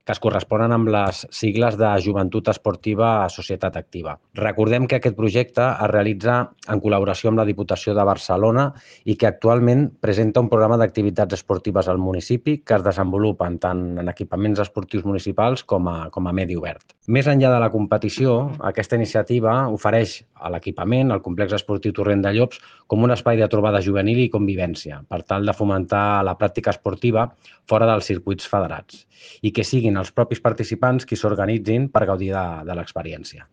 que es corresponen amb les sigles de Joventut Esportiva Societat Activa. Recordem que aquest projecte es realitza en col·laboració amb la Diputació de Barcelona i que actualment presenta un programa d'activitats esportives al municipi que es desenvolupen tant en equipaments esportius municipals com a medi obert. Més enllà de la competició, aquesta iniciativa ofereix a l'equipament, al complex esportiu Torrent de Llops, com un espai de trobada juvenil i convivència, per tal de fomentar la pràctica esportiva fora dels circuits federats i que siguin els propis participants qui s'organitzin per gaudir de l'experiència.